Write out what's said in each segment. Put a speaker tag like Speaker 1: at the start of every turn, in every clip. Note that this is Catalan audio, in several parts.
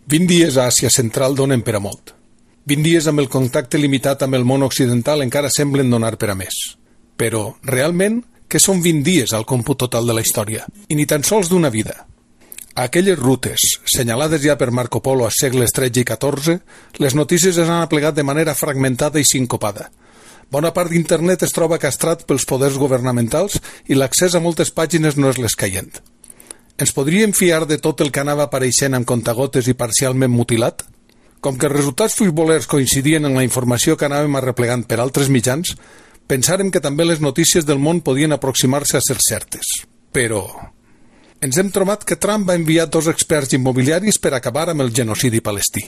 Speaker 1: 20 dies a Àsia Central donen per a molt. 20 dies amb el contacte limitat amb el món occidental encara semblen donar per a més. Però, realment, què són 20 dies al còmput total de la història? I ni tan sols d'una vida. A aquelles rutes, senyalades ja per Marco Polo a segles XIII i XIV, les notícies es han aplegat de manera fragmentada i sincopada. Bona part d'internet es troba castrat pels poders governamentals i l'accés a moltes pàgines no és l'escaient. Ens podríem fiar de tot el que anava apareixent amb contagotes i parcialment mutilat? Com que els resultats futbolers coincidien en la informació que anàvem arreplegant per altres mitjans, pensàrem que també les notícies del món podien aproximar-se a ser certes. Però ens hem trobat que Trump va enviar 2 experts immobiliaris per acabar amb el genocidi palestí,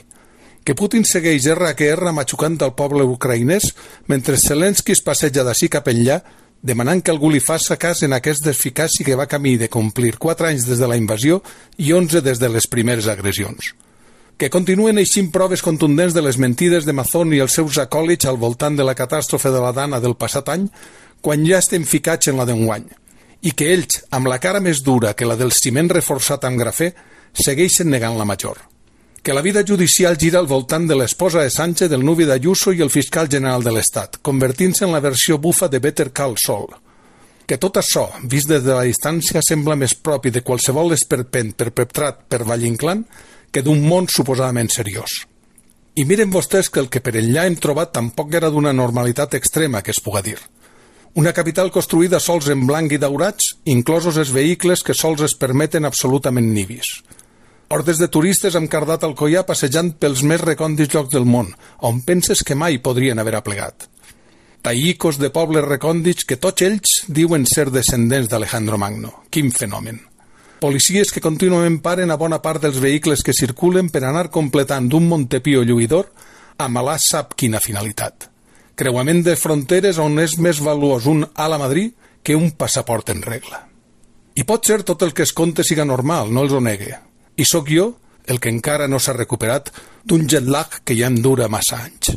Speaker 1: que Putin segueix R que R matxucant al poble ucraïnès mentre Zelensky es passeja d'ací cap enllà demanant que algú li faça cas en aquest desficaci que va camí de complir 4 anys des de la invasió i 11 des de les primeres agressions. Que continuen eixint proves contundents de les mentides de Mazón i els seus acòlits al voltant de la catàstrofe de la Dana del passat any, quan ja estem ficats en la d'enguany, i que ells, amb la cara més dura que la del ciment reforçat amb grafè, segueixen negant la major. Que la vida judicial gira al voltant de l'esposa de Sánchez, del nuvi d'Ayuso i el fiscal general de l'Estat, convertint-se en la versió bufa de Better Call Saul. Que tot això, vist des de la distància, sembla més propi de qualsevol esperpent perpetrat per Valle-Inclán que d'un món suposadament seriós. I miren vostès que el que per enllà hem trobat tampoc era d'una normalitat extrema que es puga dir. Una capital construïda sols en blanc i daurats, inclosos els vehicles que sols es permeten absolutament nivis. Hordes de turistes amb cardat al collar passejant pels més recòndits llocs del món, on penses que mai podrien haver aplegat. Taïcos de pobles recòndits que tots ells diuen ser descendents d'Alejandro Magno. Quin fenomen. Policies que contínuament paren a bona part dels vehicles que circulen per anar completant d'un Montepío lluïdor amb Alà sap quina finalitat. Creuament de fronteres on és més valuós un ala Madrid que un passaport en regla. I pot ser tot el que es conte siga normal, no els ho negue. I sóc jo el que encara no s'ha recuperat d'un jet lag que ja em dura massa anys.